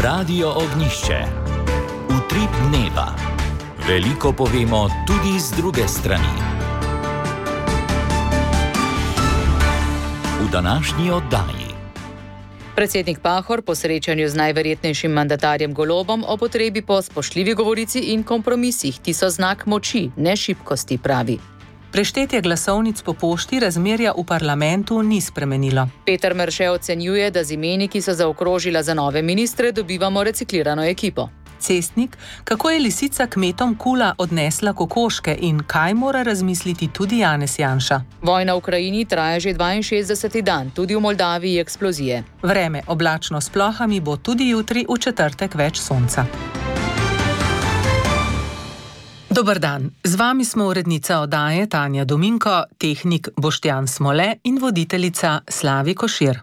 Radio Ognjišče. Utrip dneva. Veliko povemo tudi z druge strani. V današnji oddaji. Predsednik Pahor po srečanju z najverjetnejšim mandatarjem Golobom o potrebi po spoštljivi govorici in kompromisih, ki so znak moči, ne šibkosti, pravi. Preštetje glasovnic po pošti razmerja v parlamentu ni spremenilo. Peter Merše ocenjuje, da z imeni, ki so zaokrožila za nove ministre, dobivamo reciklirano ekipo. Cestnik, kako je lisica kmetom Kula odnesla kokoške in kaj mora razmisliti tudi Janez Janša. Vojna v Ukrajini traja že 62. dan, tudi v Moldaviji eksplozije. Vreme oblačno s plohami bo tudi jutri, v četrtek več sonca. Dober dan, z vami smo urednica oddaje Tanja Dominko, tehnik Boštjan Smole in voditeljica Slavi Košir.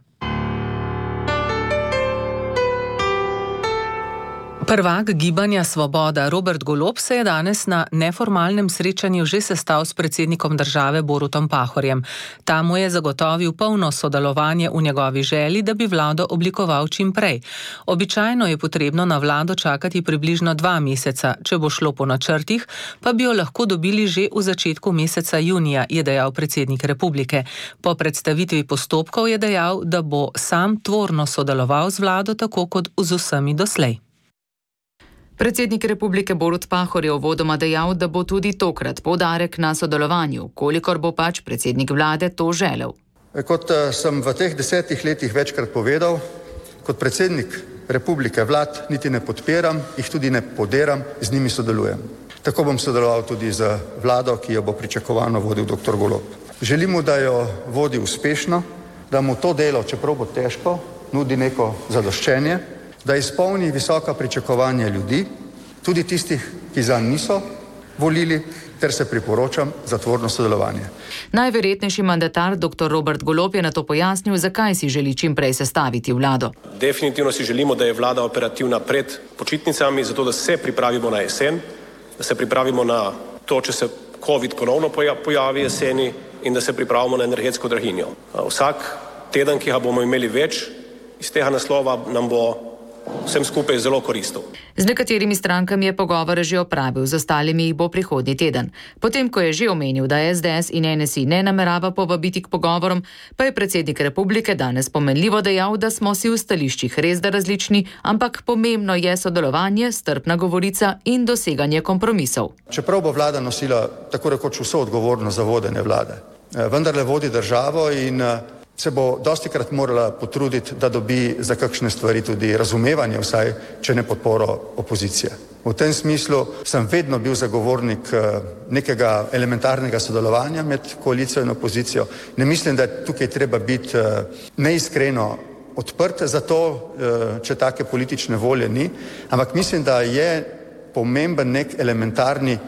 Prvak Gibanja Svoboda Robert Golob se je danes na neformalnem srečanju že sestal s predsednikom države Borutom Pahorjem. Ta mu je zagotovil polno sodelovanje v njegovi želji, da bi vlado oblikoval čim prej. Običajno je potrebno na vlado čakati približno 2 meseca, če bo šlo po načrtih, pa bi jo lahko dobili že v začetku meseca junija, je dejal predsednik republike. Po predstavitvi postopkov je dejal, da bo sam tvorno sodeloval z vlado tako kot z vsemi doslej. Predsednik republike Borut Pahor je uvodoma dejal, da bo tudi tokrat poudarek na sodelovanju, kolikor bo pač predsednik vlade to želel. Kot sem v teh 10 letih večkrat povedal, kot predsednik republike vlad niti ne podpiram, jih tudi ne poderam, z njimi sodelujem. Tako bom sodeloval tudi z vlado, ki jo bo pričakovano vodil dr. Golob. Želimo, da jo vodi uspešno, da mu to delo, čeprav bo težko, nudi neko zadoščenje, da izpolni visoka pričakovanja ljudi, tudi tistih, ki zanj niso volili, ter se priporočam za tvorno sodelovanje. Najverjetnejši mandatar dr. Robert Golob je nato pojasnil, zakaj si želi čim prej sestaviti vlado. Definitivno si želimo, da je vlada operativna pred počitnicami, zato da se pripravimo na jesen, da se pripravimo na to, če se COVID ponovno pojavi jeseni in da se pripravimo na energetsko draginjo. Vsak teden, ki ga bomo imeli več, iz tega naslova nam bo vsem skupaj zelo koristil. Z nekaterimi strankami je pogovore že opravil, z ostalimi jih bo prihodnji teden. Potem, ko je že omenil, da SDS in NSI ne namerava povabiti k pogovorom, pa je predsednik republike danes pomenljivo dejal, da smo si v stališčih res da različni, ampak pomembno je sodelovanje, strpna govorica in doseganje kompromisov. Čeprav bo vlada nosila tako rekoč vso odgovornost za vodenje vlade, vendarle vodi državo in se bo dostikrat morala potruditi, da dobi za kakšne stvari tudi razumevanje, vsaj če ne podporo opozicije. V tem smislu sem vedno bil zagovornik nekega elementarnega sodelovanja med koalicijo in opozicijo. Ne mislim, da je tukaj treba biti neiskreno odprt za to, če take politične volje ni, ampak mislim, da je pomemben nek elementarni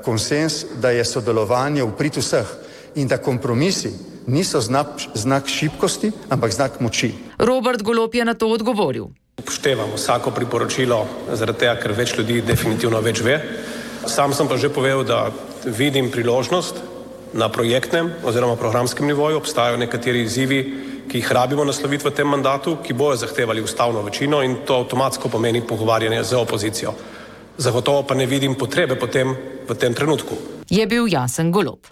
konsens, da je sodelovanje v prid vseh in da kompromisi niso znak šibkosti, ampak znak moči. Robert Golob je na to odgovoril. Upoštevam vsako priporočilo, zaradi tega, ker več ljudi definitivno več ve. Sam sem pa že povedal, da vidim priložnost na projektnem oziroma programskem nivoju. Obstajajo nekateri izzivi, ki jih rabimo nasloviti v tem mandatu, ki bojo zahtevali ustavno večino in to avtomatsko pomeni pogovarjanje z opozicijo. Zagotovo pa ne vidim potrebe potem v tem trenutku. Je bil jasen Golob.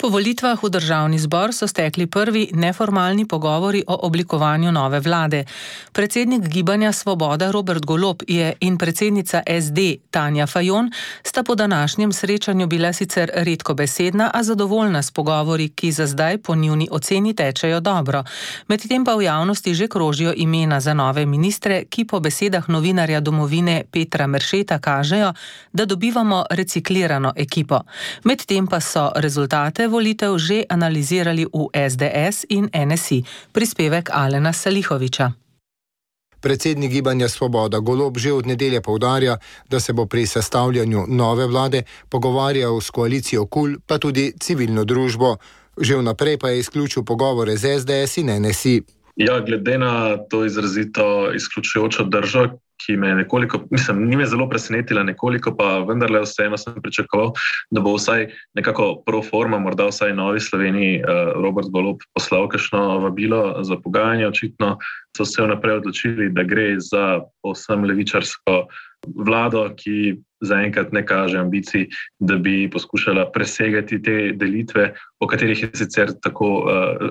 Po volitvah v državni zbor so stekli prvi neformalni pogovori o oblikovanju nove vlade. Predsednik Gibanja Svoboda Robert Golob in predsednica SD Tanja Fajon sta po današnjem srečanju bila sicer redkobesedna, a zadovoljna s pogovori, ki za zdaj po njuni oceni tečejo dobro. Medtem pa v javnosti že krožijo imena za nove ministre, ki po besedah novinarja Domovine Petra Meršeta kažejo, da dobivamo reciklirano ekipo. Medtem pa so rezultate volitev že analizirali v SDS in NSI. Prispevek Alena Salihoviča. Predsednik Gibanja Svoboda Golob že od nedelje poudarja, da se bo pri sestavljanju nove vlade pogovarjal s koalicijo KUL, pa tudi civilno družbo. Že vnaprej pa je izključil pogovore z SDS in NSI. Ja, glede na to izrazito izključujočo držo, ki me nekoliko, ni me zelo presenetila nekoliko, pa vendarle vseeno sem pričakoval, da bo vsaj nekako pro forma, morda vsaj Novi Sloveniji Robert Golob poslal kakšno vabilo za pogajanje. Očitno so se vnaprej odločili, da gre za povsem levičarsko vlado, ki zaenkrat ne kaže ambicij, da bi poskušala presegati te delitve, o katerih je sicer tako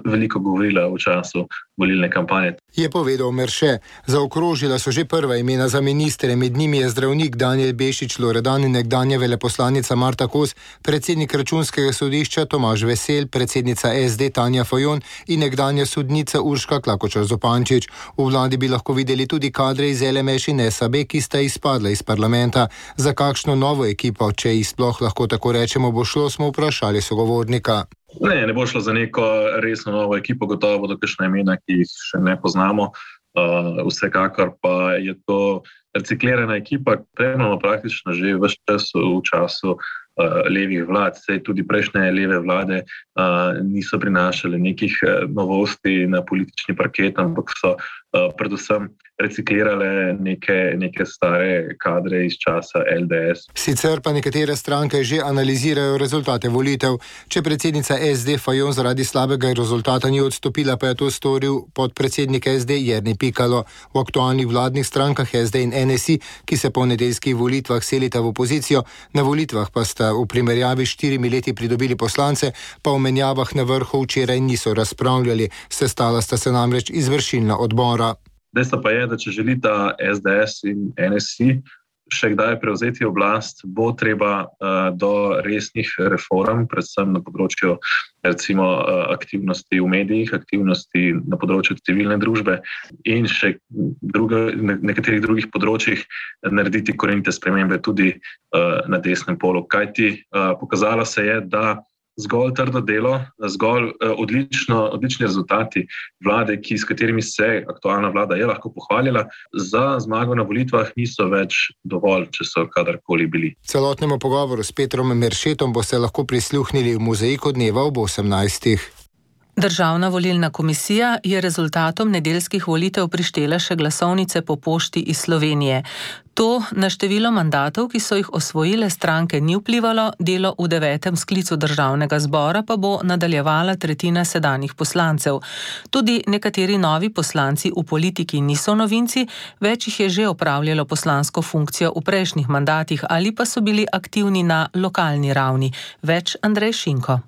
veliko govorila v času volilne kampanje. Je povedal Merše. Zaokrožila so že prva imena za ministre, med njimi je zdravnik Danijel Bešič Loredan in nekdanja veleposlanica Marta Kos, predsednik Računskega sodišča Tomaž Vesel, predsednica SD Tanja Fajon in nekdanja sodnica Urška Klakočar Zupančič. V vladi bi lahko videli tudi kadre iz LMŠ in SAB, ki sta izpadla iz parlamenta. Za kakšno novo ekipo, če jih sploh lahko tako rečemo, bo šlo, smo vprašali sogovornika. Ne bo šlo za neko resno novo ekipo, gotovo bodo kakšna imena, ki jih še ne poznamo. Vsekakor pa je to reciklirana ekipa, premalo praktično že ves čas v času levih vlad. Sej tudi prejšnje leve vlade niso prinašale nekih novosti na politični parket, ampak so predvsem reciklirale neke stare kadre iz časa LDS. Sicer pa nekatere stranke že analizirajo rezultate volitev. Če predsednica SD Fajon zaradi slabega rezultata ni odstopila, pa je to storil podpredsednik SD Jernej Pikalo. V aktualnih vladnih strankah SD in NSI, ki se po nedeljskih volitvah selita v opozicijo, na volitvah pa sta v primerjavi s 4 leti pridobili poslance, pa o menjavah na vrhu včeraj niso razpravljali. Sestala sta se namreč izvršilna odbora. Dejstvo pa je, da če želita SDS in NSI še kdaj prevzeti oblast, bo treba do resnih reform, predvsem na področju recimo aktivnosti v medijih, aktivnosti na področju civilne družbe in še nekaterih drugih področjih narediti korenite spremembe tudi na desnem polu. Kajti pokazalo se je, da zgolj trdo delo, zgolj odlični rezultati vlade, s katerimi se aktualna vlada je lahko pohvalila, za zmago na volitvah niso več dovolj, če so kadarkoli bili. Celotnemu pogovoru s Petrom Meršetom boste lahko prisluhnili v Mozaiku dneva ob 18. Državna volilna komisija je rezultatom nedeljskih volitev prištela še glasovnice po pošti iz Slovenije. To na število mandatov, ki so jih osvojile stranke, ni vplivalo, delo v 9. sklicu državnega zbora pa bo nadaljevala tretjina sedanjih poslancev. Tudi nekateri novi poslanci v politiki niso novinci, več jih je že opravljalo poslansko funkcijo v prejšnjih mandatih ali pa so bili aktivni na lokalni ravni. Več Andrej Šinko.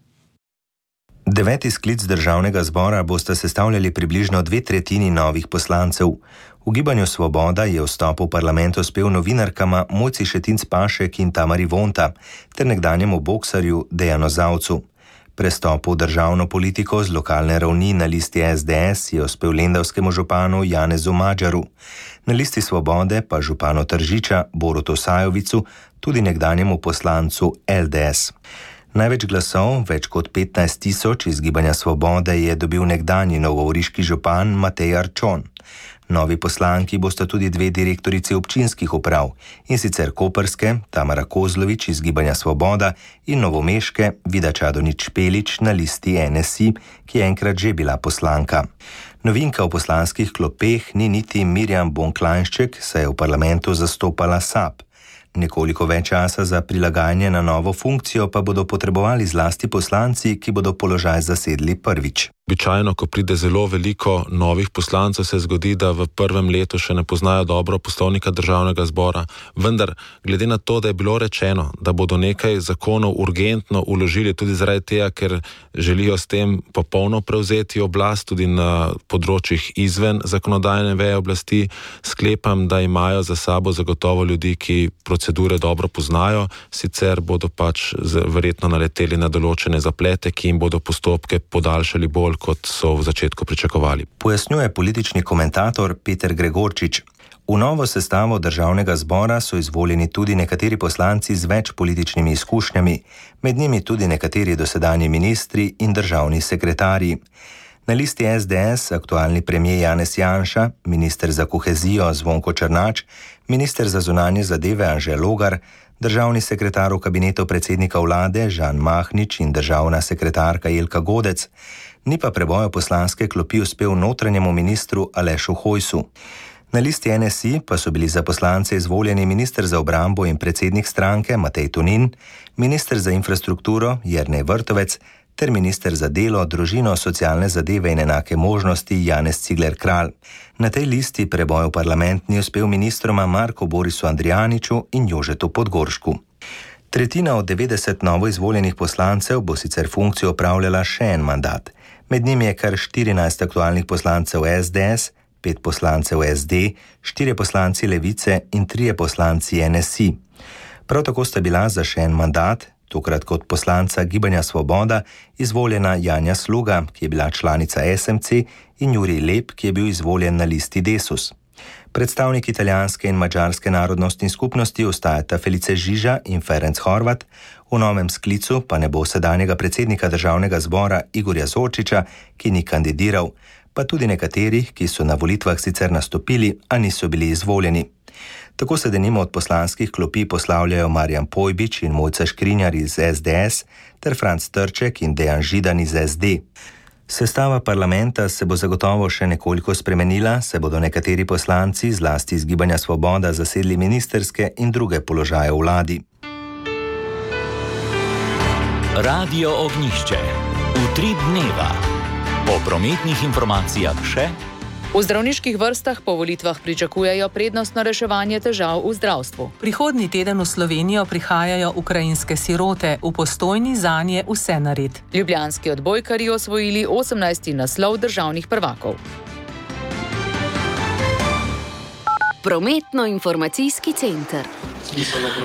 9. sklic državnega zbora boste sestavljali približno 2/3 novih poslancev. V Gibanju Svoboda je vstop v parlament uspel novinarkama Mojci Šetinc Pašek in Tamari Vonta ter nekdanjemu boksarju Dejanu Zavcu. Prestop v državno politiko z lokalne ravni na listi SDS je uspel lendavskemu županu Janezu Madžaru, na listi Svobode pa županu Tržiča Borutu Sajovicu, tudi nekdanjemu poslancu LDS. Največ glasov, več kot 15 000 iz Gibanja Svobode, je dobil nekdanji novogoriški župan Matej Arčon. Novi poslanki bosta tudi 2 direktorici občinskih uprav, in sicer koprske Tamara Kozlovič iz Gibanja Svoboda in novomeške Vida Čadonič Špelič na listi NSI, ki je enkrat že bila poslanka. Novinka v poslanskih klopeh ni niti Mirjam Bonklajnšček, saj je v parlamentu zastopala SAB. Nekoliko več časa za prilagajanje na novo funkcijo pa bodo potrebovali zlasti poslanci, ki bodo položaj zasedli prvič. Običajno, ko pride zelo veliko novih poslancev, se zgodi, da v prvem letu še ne poznajo dobro poslovnika državnega zbora. Vendar, glede na to, da je bilo rečeno, da bodo nekaj zakonov urgentno vložili tudi zaradi tega, ker želijo s tem popolno prevzeti oblast tudi na področjih izven zakonodajne veje oblasti, sklepam, da imajo za sabo zagotovo ljudi, ki procedure dobro poznajo, sicer bodo pač verjetno naleteli na določene zaplete, ki jim bodo postopke podaljšali bolj, kot so v začetku pričakovali. Pojasnjuje politični komentator Peter Gregorčič. V novo sestavo državnega zbora so izvoljeni tudi nekateri poslanci z več političnimi izkušnjami, med njimi tudi nekateri dosedanji ministri in državni sekretarji. Na listi SDS aktualni premier Janez Janša, minister za kohezijo Zvonko Černač, minister za zunanje zadeve Anže Logar, državni sekretar v kabinetu predsednika vlade Žan Mahnič in državna sekretarka Jelka Godec. Ni pa preboja poslanske klopi uspel notranjemu ministru Alešu Hojsu. Na listi NSI pa so bili za poslance izvoljeni minister za obrambo in predsednik stranke Matej Tonin, minister za infrastrukturo Jernej Vrtovec ter minister za delo, družino, socialne zadeve in enake možnosti Janez Cigler Kralj. Na tej listi preboj v parlament ni uspel ministroma Marku Borisu Andrijaniču in Jožetu Podgoršku. Tretjina od 90 novoizvoljenih poslancev bo sicer funkcijo opravljala še en mandat. Med njimi je kar 14 aktualnih poslancev SDS, 5 poslancev SD, 4 poslanci Levice in 3 poslanci NSI. Prav tako sta bila za še en mandat, tokrat kot poslanca Gibanja Svoboda, izvoljena Janja Sluga, ki je bila članica SMC, in Jurij Lep, ki je bil izvoljen na listi Desus. Predstavnik italijanske in madžarske narodnostne skupnosti ostajata Felice Žiža in Ferenc Horvat, v novem sklicu pa ne bo sedanjega predsednika državnega zbora Igorja Zorčiča, ki ni kandidiral, pa tudi nekaterih, ki so na volitvah sicer nastopili, a niso bili izvoljeni. Tako se denimo od poslanskih klopi poslavljajo Marjan Pojbič in Mojca Škrinjar iz SDS ter Franc Trček in Dejan Židan iz SD. Sestava parlamenta se bo zagotovo še nekoliko spremenila, se bodo nekateri poslanci, zlasti iz Gibanja Svoboda, zasedli ministerske in druge položaje v vladi. Radio Ognjišče. Utrip dneva. Po prometnih informacijah še. V zdravniških vrstah po volitvah pričakujejo prednostno reševanje težav v zdravstvu. Prihodnji teden v Slovenijo prihajajo ukrajinske sirote, v Postojni zanje vse nared. Ljubljanski odbojkarji osvojili 18. naslov državnih prvakov. Prometno-informacijski center.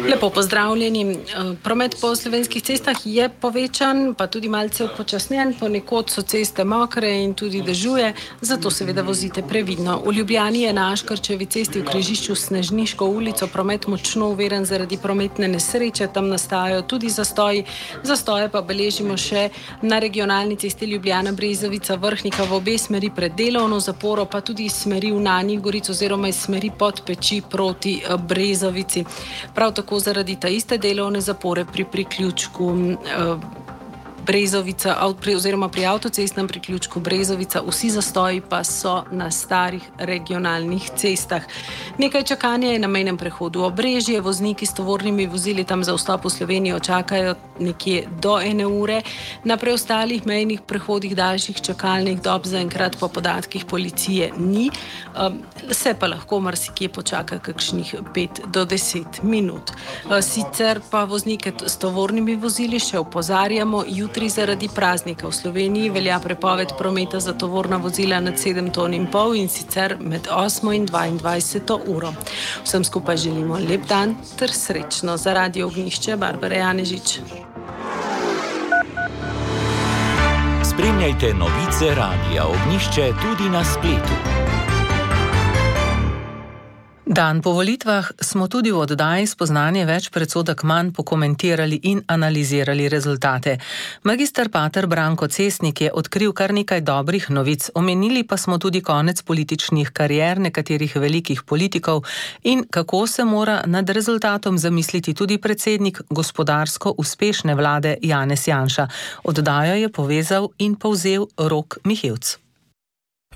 Lepo pozdravljeni. Promet po slovenskih cestah je povečan, pa tudi malce upočasnjen, ponekod so ceste mokre in tudi dežuje, zato seveda vozite previdno. V Ljubljani je na Aškerčevi cesti v križišču s Snežniško ulico promet močno uveren zaradi prometne nesreče, tam nastajajo tudi zastoji. Zastoje pa beležimo še na regionalni cesti Ljubljana-Brezovica-Vrhnika v obe smeri pred delovno zaporo, pa tudi iz smeri v Nanjih Goric oziroma iz smeri Podpeči proti Brezovici. Prav tako zaradi ta iste delovne zapore pri priključku Brezovica, oziroma pri avtocestnem priključku Brezovica, vsi zastoji pa so na starih regionalnih cestah. Nekaj čakanja je na mejnem prehodu Obrežje, vozniki s tovornimi vozili tam za vstop v Slovenijo čakajo nekje do 1 ure, na preostalih mejnih prehodih daljših čakalnih dob zaenkrat po podatkih policije ni, se pa lahko marsikje počaka kakšnih 5 do 10 minut. Sicer pa voznike s tovornimi vozili še opozarjamo, jutri zaradi praznika v Sloveniji velja prepoved prometa za tovorna vozila nad 7,5 ton in sicer med 8 in 22 uro. Vsem skupaj želimo lep dan ter srečno. Za Radio Ognjišče, Barbara Janežič. Spremljajte novice Radia Ognjišče tudi na spletu. Dan po volitvah smo tudi v oddaji Spoznanje več predsodek manj pokomentirali in analizirali rezultate. Magister pater Branko Cesnik je odkril kar nekaj dobrih novic. Omenili pa smo tudi konec političnih karier nekaterih velikih politikov in kako se mora nad rezultatom zamisliti tudi predsednik gospodarsko uspešne vlade Janez Janša. Oddajo je povezal in povzel Rok Mihevc.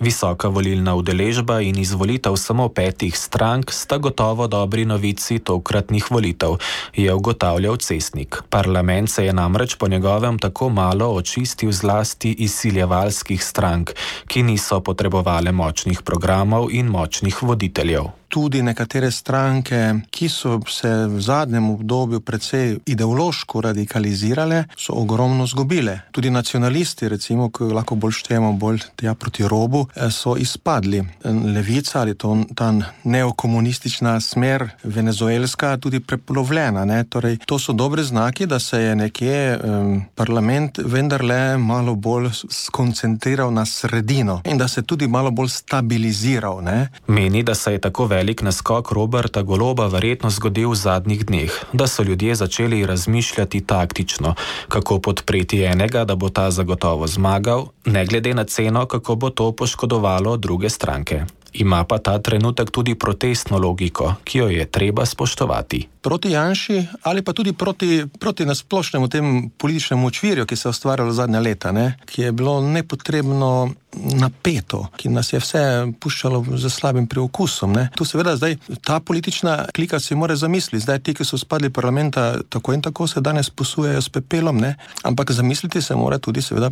Visoka volilna udeležba in izvolitev samo 5 strank sta gotovo dobri novici tokratnih volitev, je ugotavljal Cesnik. Parlament se je namreč po njegovem tako malo očistil zlasti izsiljevalskih strank, ki niso potrebovale močnih programov in močnih voditeljev. Tudi nekatere stranke, ki so se v zadnjem obdobju precej ideološko radikalizirale, so ogromno zgubile. Tudi nacionalisti, recimo, ki lahko bolj štejemo bolj tja proti robu, so izpadli. Levica ali ta neokomunistična smer venezuelska tudi prepolovljena. Torej, to so dobre znaki, da se je nekje parlament vendarle malo bolj skoncentriral na sredino in da se tudi malo bolj stabiliziral. Meni, da se je tako velik naskok Roberta Goloba verjetno zgodil v zadnjih dneh, da so ljudje začeli razmišljati taktično, kako podpreti enega, da bo ta zagotovo zmagal, ne glede na ceno, kako bo to poškodovalo druge stranke. Ima pa ta trenutek tudi protestno logiko, ki jo je treba spoštovati. Proti Janši ali pa tudi proti nasplošnemu tem političnemu očvirju, ki se je ustvarjalo zadnja leta, ki je bilo nepotrebno napeto, ki nas je vse puščalo z slabim preokusom. Ne. Tu seveda zdaj ta politična klika si mora zamisliti. Zdaj ti, ki so spadli parlamenta, tako in tako se danes posujejo s pepelom, ne. Ampak zamisliti se mora tudi seveda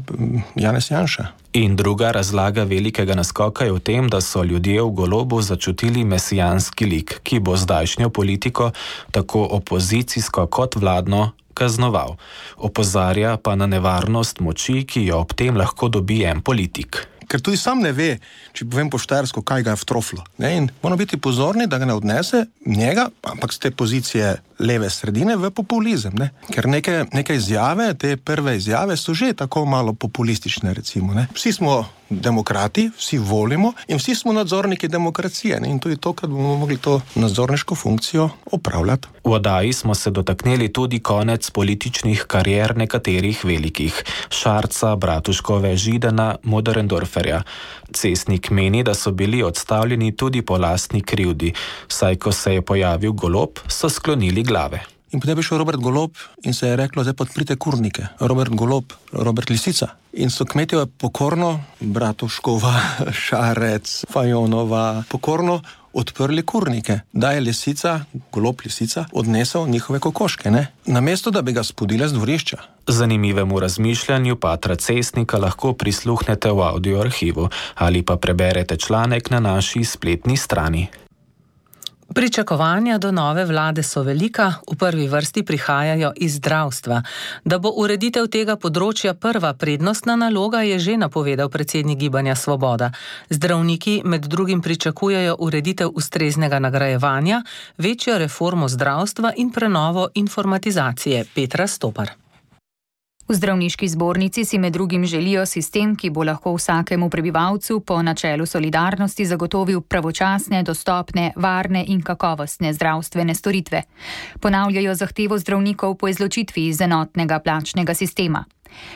Janez Janša. In druga razlaga velikega naskoka je v tem, da so ljudje v Golobu začutili mesijanski lik, ki bo zdajšnjo politiko, tako opozicijsko kot vladno, kaznoval. Opozarja pa na nevarnost moči, ki jo ob tem lahko dobi en politik. Ker tudi sam ne ve, če povem po štajersko, kaj ga je vtroflo. Ne? In moramo biti pozorni, da ga ne odnese njega, ampak z te pozicije leve sredine v populizem. Ne? Ker neke izjave, te prve izjave so že tako malo populistične, recimo. Ne? Vsi smo demokrati, vsi volimo in vsi smo nadzorniki demokracije. Ne? In tudi to, kad bomo mogli to nadzorniško funkcijo opravljati. V oddaji smo se dotaknili tudi konec političnih karier nekaterih velikih. Šarca, Bratuškove, Židana, Möderndorferja. Cestnik meni, da so bili odstavljeni tudi po lastni krivdi, saj ko se je pojavil Golob, so sklonili glave. In potem je šel Robert Golob in se je reklo, zdaj podprite kurnike. Robert Golob, Robert Lisica. In so kmetje pokorno, Bratuškova, Šarec, Fajonova, pokorno odprli kurnike. Da je Lisica, Golob Lisica, odnesel njihove kokoške, ne? Namesto, da bi ga spodile z dvorišča. Zanimivemu razmišljanju Patra Cestnika lahko prisluhnete v audio arhivu ali pa preberete članek na naši spletni strani. Pričakovanja do nove vlade so velika, v prvi vrsti prihajajo iz zdravstva. Da bo ureditev tega področja prva prednostna naloga, je že napovedal predsednik Gibanja Svoboda. Zdravniki med drugim pričakujejo ureditev ustreznega nagrajevanja, večjo reformo zdravstva in prenovo informatizacije. Petra Stopar. V zdravniški zbornici si med drugim želijo sistem, ki bo lahko vsakemu prebivalcu po načelu solidarnosti zagotovil pravočasne, dostopne, varne in kakovostne zdravstvene storitve. Ponavljajo zahtevo zdravnikov po izločitvi iz enotnega plačnega sistema.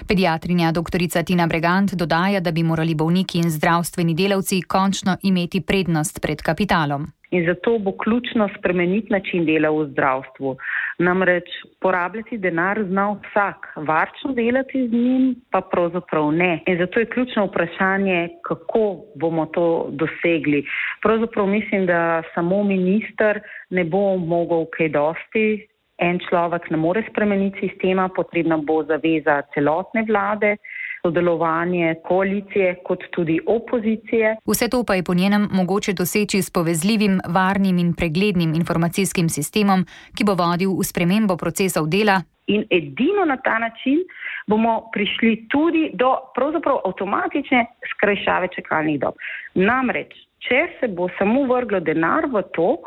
Pediatrinja dr. Tina Bregant dodaja, da bi morali bolniki in zdravstveni delavci končno imeti prednost pred kapitalom. In zato bo ključno spremeniti način dela v zdravstvu. Namreč porabljati denar zna vsak, varčno delati z njim pa pravzaprav ne. In zato je ključno vprašanje, kako bomo to dosegli. Pravzaprav mislim, da samo minister ne bo mogel kaj dosti. En človek ne more spremeniti sistema, potrebna bo zaveza celotne vlade, sodelovanje koalicije kot tudi opozicije. Vse to pa je po njenem mogoče doseči s povezljivim, varnim in preglednim informacijskim sistemom, ki bo vodil v spremembo procesov dela. In edino na ta način bomo prišli tudi do pravzaprav avtomatične skrajšave čakalnih dob. Namreč, če se bo samo vrglo denar v to,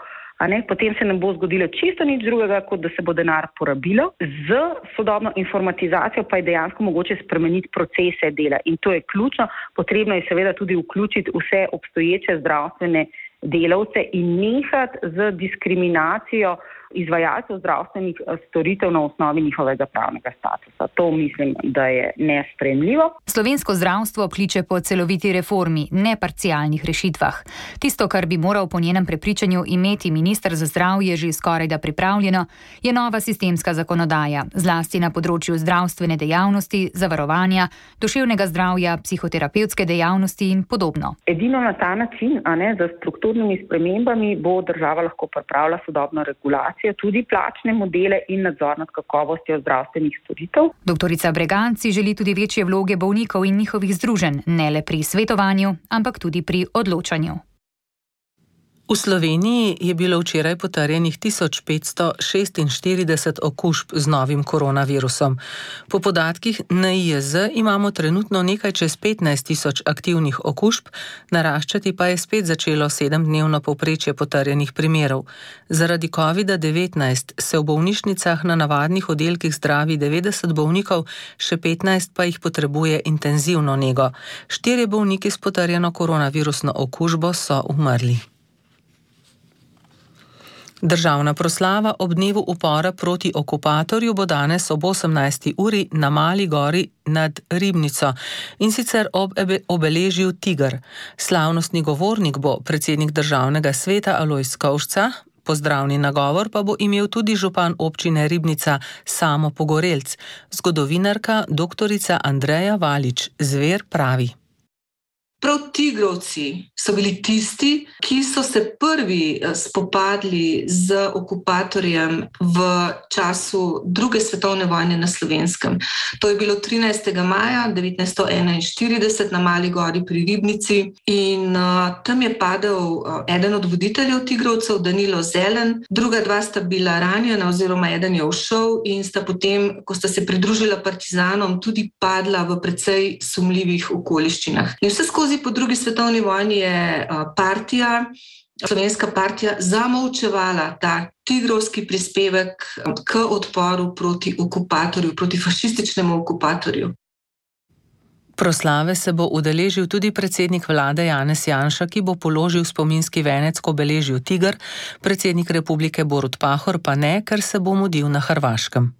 potem se ne bo zgodilo čisto nič drugega, kot da se bo denar porabilo. Z sodobno informatizacijo pa je dejansko mogoče spremeniti procese dela in to je ključno. Potrebno je seveda tudi vključiti vse obstoječe zdravstvene delavce in nehati z diskriminacijo izvajalcev zdravstvenih storitev na osnovi njihovega pravnega statusa. To mislim, da je nesprejemljivo. Slovensko zdravstvo kliče po celoviti reformi, ne parcialnih rešitvah. Tisto, kar bi moral po njenem prepričanju imeti minister za zdravje že skorajda pripravljeno, je nova sistemska zakonodaja, zlasti na področju zdravstvene dejavnosti, zavarovanja, duševnega zdravja, psihoterapevtske dejavnosti in podobno. Edino na ta način, z strukturnimi spremembami bo država lahko pripravila sodobno regulacijo, tudi plačne modele in nadzor nad kakovostjo zdravstvenih storitev. Doktorica Bregant si želi tudi večje vloge bolnikov in njihovih združenj, ne le pri svetovanju, ampak tudi pri odločanju. V Sloveniji je bilo včeraj potrjenih 1546 okužb z novim koronavirusom. Po podatkih NIJZ imamo trenutno nekaj čez 15.000 aktivnih okužb, naraščati pa je spet začelo 7-dnevno povprečje potrjenih primerov. Zaradi COVID-19 se v bolnišnicah na navadnih oddelkih zdravi 90 bolnikov, še 15 pa jih potrebuje intenzivno nego. 4 bolniki s potrjeno koronavirusno okužbo so umrli. Državna proslava ob dnevu upora proti okupatorju bo danes ob 18. uri na Mali gori nad Ribnico in sicer ob obeležju Tiger. Slavnostni govornik bo predsednik Državnega sveta Alojz Kovšca, pozdravni nagovor pa bo imel tudi župan občine Ribnica Samo Pogorelc. Zgodovinarka dr. Andreja Valič Zver pravi. Prav tigrovci so bili tisti, ki so se prvi spopadli z okupatorjem v času druge svetovne vojne na Slovenskem. To je bilo 13. maja 1941 na Mali gori pri Ribnici in tam je padel eden od voditeljev tigrovcev, Danilo Zelen, druga dva sta bila ranjena oziroma eden je ušel in sta potem, ko sta se pridružila partizanom, tudi padla v precej sumljivih okoliščinah. In vse skozi po drugi svetovni vojni je slovenska partija zamolčevala ta tigrovski prispevek k odporu proti okupatorju, proti fašističnemu okupatorju. Proslave se bo udeležil tudi predsednik vlade Janez Janša, ki bo položil spominski venec k obeležju Tiger, predsednik republike Borut Pahor pa ne, ker se bo mudil na Hrvaškem.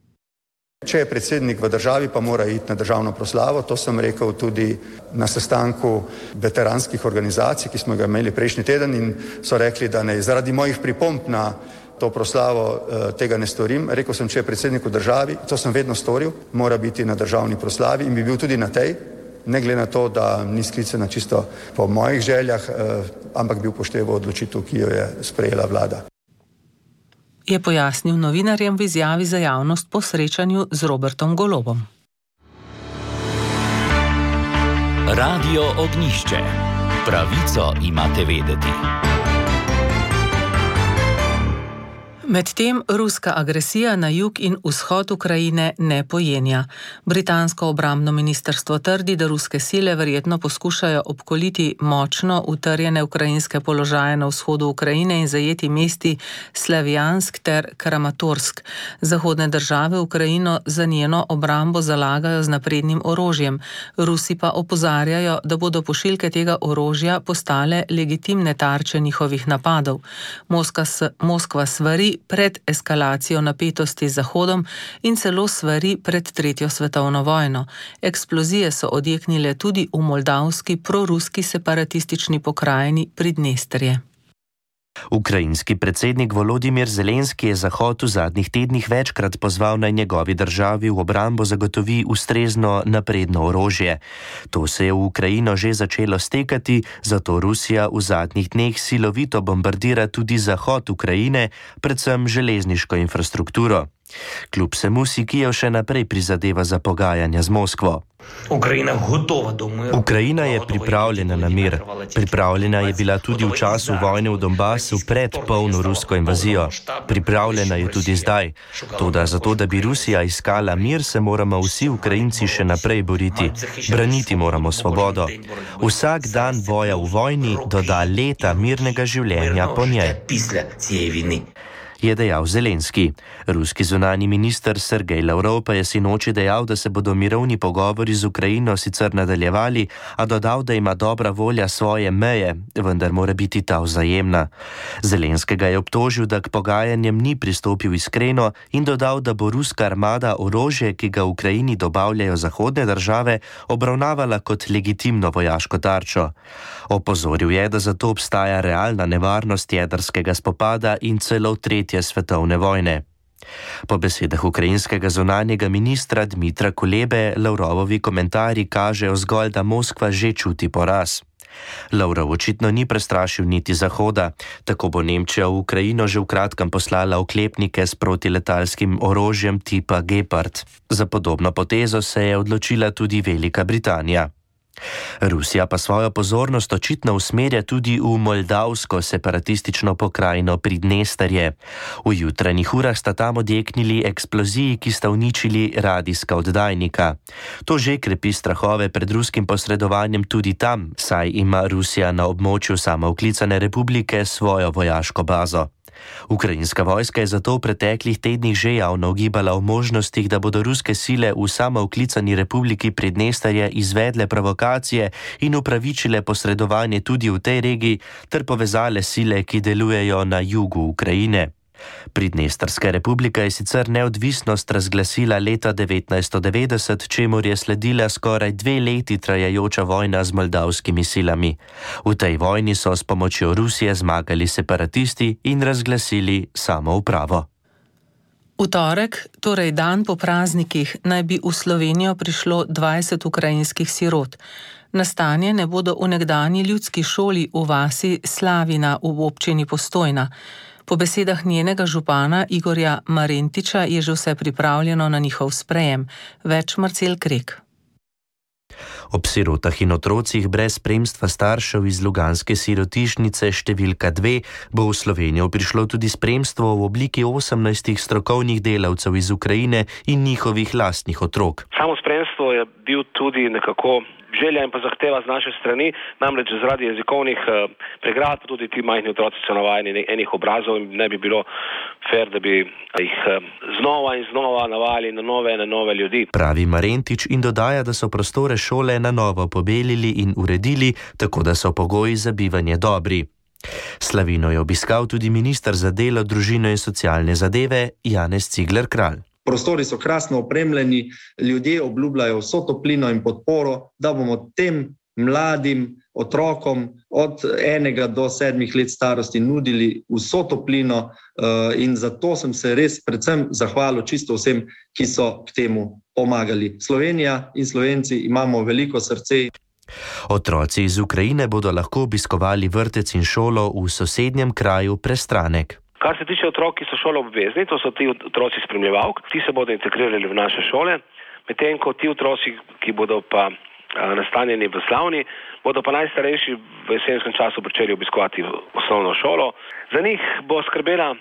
Če je predsednik v državi, pa mora iti na državno proslavo. To sem rekel tudi na sestanku veteranskih organizacij, ki smo ga imeli prejšnji teden in so rekli, da ne zaradi mojih pripomb na to proslavo tega ne storim. Rekel sem, če je predsednik v državi, to sem vedno storil, mora biti na državni proslavi in bi bil tudi na tej, ne glede na to, da ni sklicana čisto po mojih željah, ampak bi upošteval odločitev, ki jo je sprejela vlada. Je pojasnil novinarjem v izjavi za javnost po srečanju z Robertom Golobom. Radio Ognjišče. Pravico imate vedeti. Medtem ruska agresija na jug in vzhod Ukrajine ne pojenja. Britansko obrambno ministrstvo trdi, da ruske sile verjetno poskušajo obkoliti močno utrjene ukrajinske položaje na vzhodu Ukrajine in zajeti mesti Slavjansk ter Kramatorsk. Zahodne države Ukrajino za njeno obrambo zalagajo z naprednim orožjem. Rusi pa opozarjajo, da bodo pošiljke tega orožja postale legitimne tarče njihovih napadov. Moskva svari pred eskalacijo napetosti z Zahodom in celo svari pred tretjo svetovno vojno. Eksplozije so odjeknile tudi v moldavski proruski separatistični pokrajini Pridnesterje. Ukrajinski predsednik Volodimir Zelenski je Zahod v zadnjih tednih večkrat pozval, naj njegovi državi v obrambo zagotovi ustrezno napredno orožje. To se je v Ukrajino že začelo stekati, zato Rusija v zadnjih dneh silovito bombardira tudi zahod Ukrajine, predvsem železniško infrastrukturo. Kljub vsemu si Kijev še naprej prizadeva za pogajanja z Moskvo. Ukrajina je pripravljena na mir. Pripravljena je bila tudi v času vojne v Donbasu pred polno rusko invazijo. Pripravljena je tudi zdaj. Toda zato, da bi Rusija iskala mir, se moramo vsi Ukrajinci še naprej boriti. Braniti moramo svobodo. Vsak dan boja v vojni doda leta mirnega življenja po njej, je dejal Zelenski. Ruski zunanji minister Sergej Lavrov pa je sinoči dejal, da se bodo mirovni pogovori z Ukrajino sicer nadaljevali, a dodal, da ima dobra volja svoje meje, vendar mora biti ta vzajemna. Zelenskega je obtožil, da k pogajanjem ni pristopil iskreno in dodal, da bo ruska armada orožje, ki ga v Ukrajini dobavljajo zahodne države, obravnavala kot legitimno vojaško tarčo. Opozoril je, da zato obstaja realna nevarnost jedrskega spopada in celo tretje svetovne vojne. Po besedah ukrajinskega zunanjega ministra Dmitra Kulebe, Lavrovovi komentarji kažejo zgolj, da Moskva že čuti poraz. Lavrov očitno ni prestrašil niti Zahoda. Tako bo Nemčija v Ukrajino že v kratkem poslala oklepnike s protiletalskim orožjem tipa Gepard. Za podobno potezo se je odločila tudi Velika Britanija. Rusija pa svojo pozornost očitno usmerja tudi v moldavsko separatistično pokrajino Pridnesterje. V jutranjih urah sta tam odjeknili eksploziji, ki sta uničili radijska oddajnika. To že krepi strahove pred ruskim posredovanjem tudi tam, saj ima Rusija na območju samooklicane republike svojo vojaško bazo. Ukrajinska vojska je zato v preteklih tednih že javno ugibala o možnostih, da bodo ruske sile v samooklicani republiki Pridnesterje izvedle provokacije in upravičile posredovanje tudi v tej regiji ter povezale sile, ki delujejo na jugu Ukrajine. Pridnestrska republika je sicer neodvisnost razglasila leta 1990, čemur je sledila skoraj 2 leti trajajoča vojna z moldavskimi silami. V tej vojni so s pomočjo Rusije zmagali separatisti in razglasili samoupravo. V torek, torej dan po praznikih, naj bi v Slovenijo prišlo 20 ukrajinskih sirot. Nastanjene bodo v nekdanji ljudski šoli v vasi Slavina v občini Postojna. Po besedah njenega župana Igorja Marentiča je že vse pripravljeno na njihov sprejem. Več Marcel Krek. Ob sirotah in otrocih brez spremstva staršev iz Luganske sirotišnice številka 2 bo v Slovenijo prišlo tudi spremstvo v obliki 18 strokovnih delavcev iz Ukrajine in njihovih lastnih otrok. Samo spremstvo je bil tudi nekako želja in pa zahteva z naše strani, namreč zaradi jezikovnih pregrad, pa tudi ti majhni otroci so navajeni enih obrazov in ne bi bilo fair, da bi jih znova in znova navajali na nove ljudi. Pravi Marentič in dodaja, da so prostore šole na novo pobelili in uredili, tako da so pogoji za bivanje dobri. Slavino je obiskal tudi minister za delo, družino in socialne zadeve Janez Cigler Kralj. Prostori so krasno opremljeni, ljudje obljubljajo vso toplino in podporo, da bomo tem mladim otrokom od 1 do 7 let starosti nudili vso toplino in zato sem se res predvsem zahvalil čisto vsem, ki so k temu pomagali. Slovenija in Slovenci imamo veliko srce. Otroci iz Ukrajine bodo lahko obiskovali vrtec in šolo v sosednjem kraju Prestranek. Kar se tiče otrok, ki so šolo obvezni, to so ti otroci spremljevalk, ti se bodo integrirali v naše šole, medtem ko ti otroci, ki bodo pa nastanjeni v Slavni, bodo pa najstarejši v jesenskem času pričeli obiskovati osnovno šolo. Za njih bo skrbela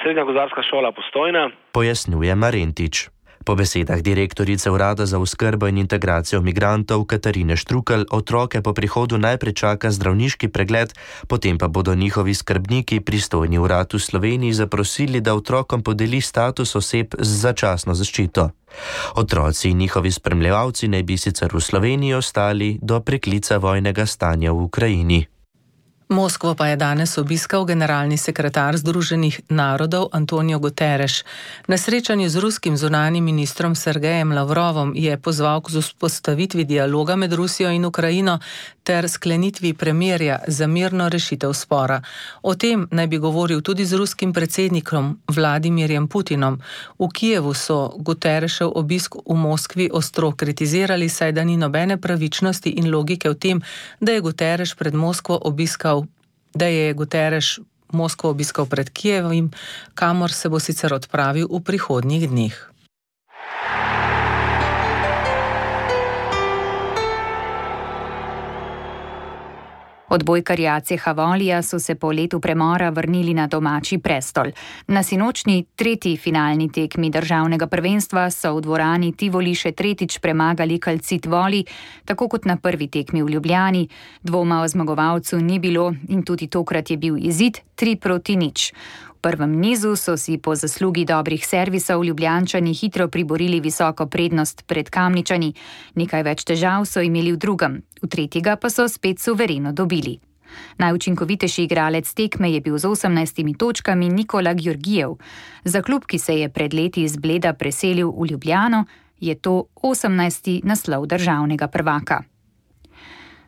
Srednja gozdarska šola Postojna, pojasnjuje Marentič. Po besedah direktorice Urada za oskrbo in integracijo migrantov Katarine Štrukelj otroke po prihodu najprej čaka zdravniški pregled, potem pa bodo njihovi skrbniki pristojni urad v Sloveniji zaprosili, da otrokom podeli status oseb z začasno zaščito. Otroci in njihovi spremljevalci naj bi sicer v Sloveniji ostali do preklica vojnega stanja v Ukrajini. Moskvo pa je danes obiskal generalni sekretar Združenih narodov Antonio Guterres. Na srečanju z ruskim zunanjim ministrom Sergejem Lavrovom je pozval k vzpostavitvi dialoga med Rusijo in Ukrajino ter sklenitvi premirja za mirno rešitev spora. O tem naj bi govoril tudi z ruskim predsednikom Vladimirjem Putinom. V Kijevu so Guterresov obisk v Moskvi ostro kritizirali, saj da ni nobene pravičnosti in logike v tem, da je Guterres Moskvo obiskal pred Kijevim, kamor se bo sicer odpravil v prihodnjih dneh. Odbojkarji ACH Volija so se po letu premora vrnili na domači prestol. Na sinočni tretji finalni tekmi državnega prvenstva so v dvorani Tivoli še tretjič premagali Calcit Voli, tako kot na prvi tekmi v Ljubljani. Dvoma o zmagovalcu ni bilo in tudi tokrat je bil izid 3-0. V prvem nizu so si po zaslugi dobrih servisov Ljubljančani hitro priborili visoko prednost pred Kamničani. Nekaj več težav so imeli v drugem, v tretjega pa so spet suvereno dobili. Najučinkovitejši igralec tekme je bil z 18 točkami Nikola Georgijev. Za klub, ki se je pred leti iz Bleda preselil v Ljubljano, je to 18. naslov državnega prvaka.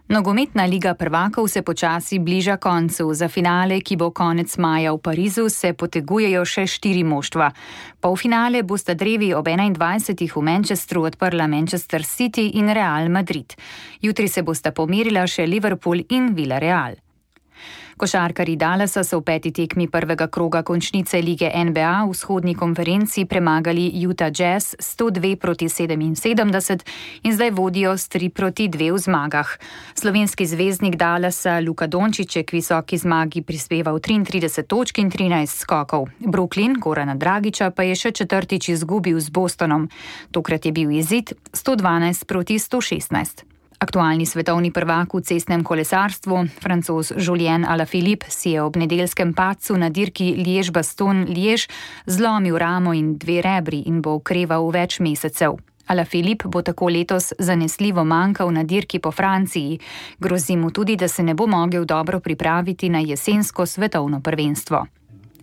Nogometna liga prvakov se počasi bliža koncu. Za finale, ki bo konec maja v Parizu, se potegujejo še 4 moštva. Polfinale bosta drevi ob 21. v Manchesteru odprla Manchester City in Real Madrid. Jutri se bosta pomerila še Liverpool in Villarreal. Košarkarji Dallasa so v 5. tekmi prvega kroga končnice lige NBA v vzhodni konferenci premagali Utah Jazz 102-77 in zdaj vodijo s 3-2 v zmagah. Slovenski zvezdnik Dallasa Luka Dončić je k visoki zmagi prispeval 33 točk in 13 skokov. Brooklyn Gorana Dragića pa je še četrtič izgubil z Bostonom. Tokrat je bil izid 112-116. Aktualni svetovni prvak v cestnem kolesarstvu, Francoz Julien Alaphilippe, si je ob nedeljskem padcu na dirki Liège-Bastogne-Liège zlomil ramo in 2 rebri in bo okreval več mesecev. Alaphilippe bo tako letos zanesljivo manjkal na dirki po Franciji. Grozi mu tudi, da se ne bo mogel dobro pripraviti na jesensko svetovno prvenstvo.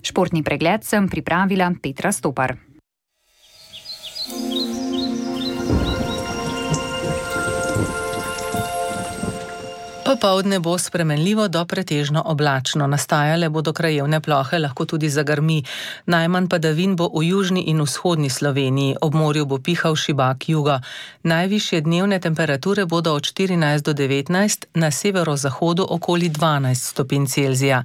Športni pregled sem pripravila Petra Stopar. Popoldne bo spremenljivo do pretežno oblačno. Nastajale bodo krajevne plohe, lahko tudi zagrmi. Najmanj padavin bo v južni in vzhodni Sloveniji. Ob morju bo pihal šibak juga. Najvišje dnevne temperature bodo od 14 do 19, na severozahodu okoli 12 stopinj Celzija.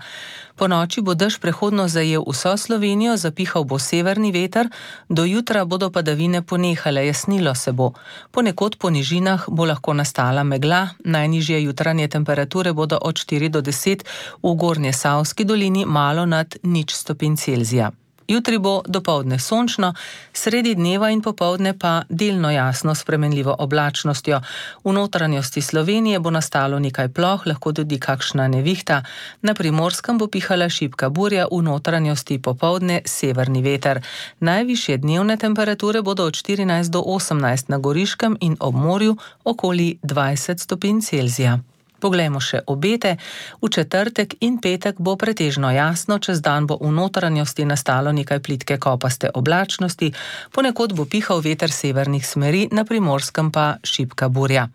Po noči bo dež prehodno zajel vso Slovenijo, zapihal bo severni veter, do jutra bodo padavine ponehale, jasnilo se bo. Ponekod po nižinah bo lahko nastala megla, najnižje jutranje temperature bodo od 4 do 10, v Gornjesavski dolini malo nad 0 stopinj Celzija. Jutri bo dopoldne sončno, sredi dneva in popoldne pa delno jasno spremenljivo oblačnostjo. V notranjosti Slovenije bo nastalo nekaj ploh, lahko tudi kakšna nevihta. Na Primorskem bo pihala šibka burja, v notranjosti popoldne severni veter. Najvišje dnevne temperature bodo od 14 do 18 na Goriškem in ob morju okoli 20 stopinj Celzija. Poglejmo še obete. V četrtek in petek bo pretežno jasno, čez dan bo v notranjosti nastalo nekaj plitke kopaste oblačnosti, ponekod bo pihal veter severnih smeri, na Primorskem pa šibka burja.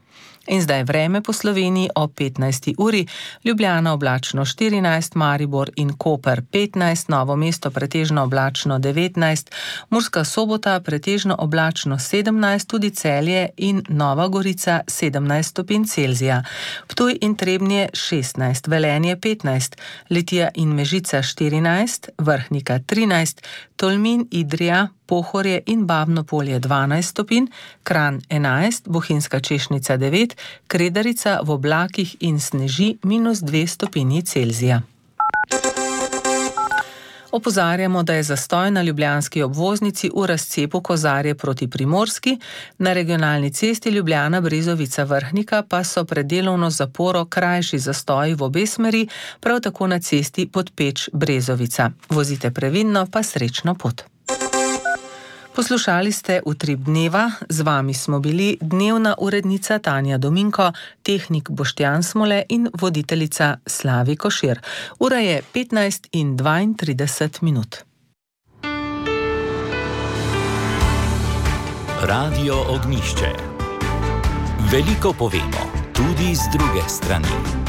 In zdaj vreme po Sloveniji ob 15. uri. Ljubljana oblačno 14, Maribor in Koper 15, Novo mesto pretežno oblačno 19, Murska Sobota pretežno oblačno 17, tudi Celje in Nova Gorica 17 stopinj Celzija. Ptuj in Trebnje 16, Velenje 15, Litija in Mežica 14, Vrhnika 13, Tolmin, Idrija, Pohorje in Babno Polje 12 stopinj, Kranj 11, Bohinjska Češnica 9, Kredarica v oblakih in sneži -2 stopinji Celzija. Opozarjamo, da je zastoj na ljubljanski obvoznici v razcepu Kozarje proti Primorski, na regionalni cesti Ljubljana-Brezovica Vrhnika pa so pred delovno zaporo krajši zastoji v obe smeri, prav tako na cesti Podpeč-Brezovica. Vozite previdno, pa srečno pot. Poslušali ste Utrip dneva, z vami smo bili dnevna urednica Tanja Dominko, tehnik Boštjan Smole in voditeljica Slavi Košir. Ura je 15:32. Radio Ognjišče. Veliko povemo, tudi z druge strani.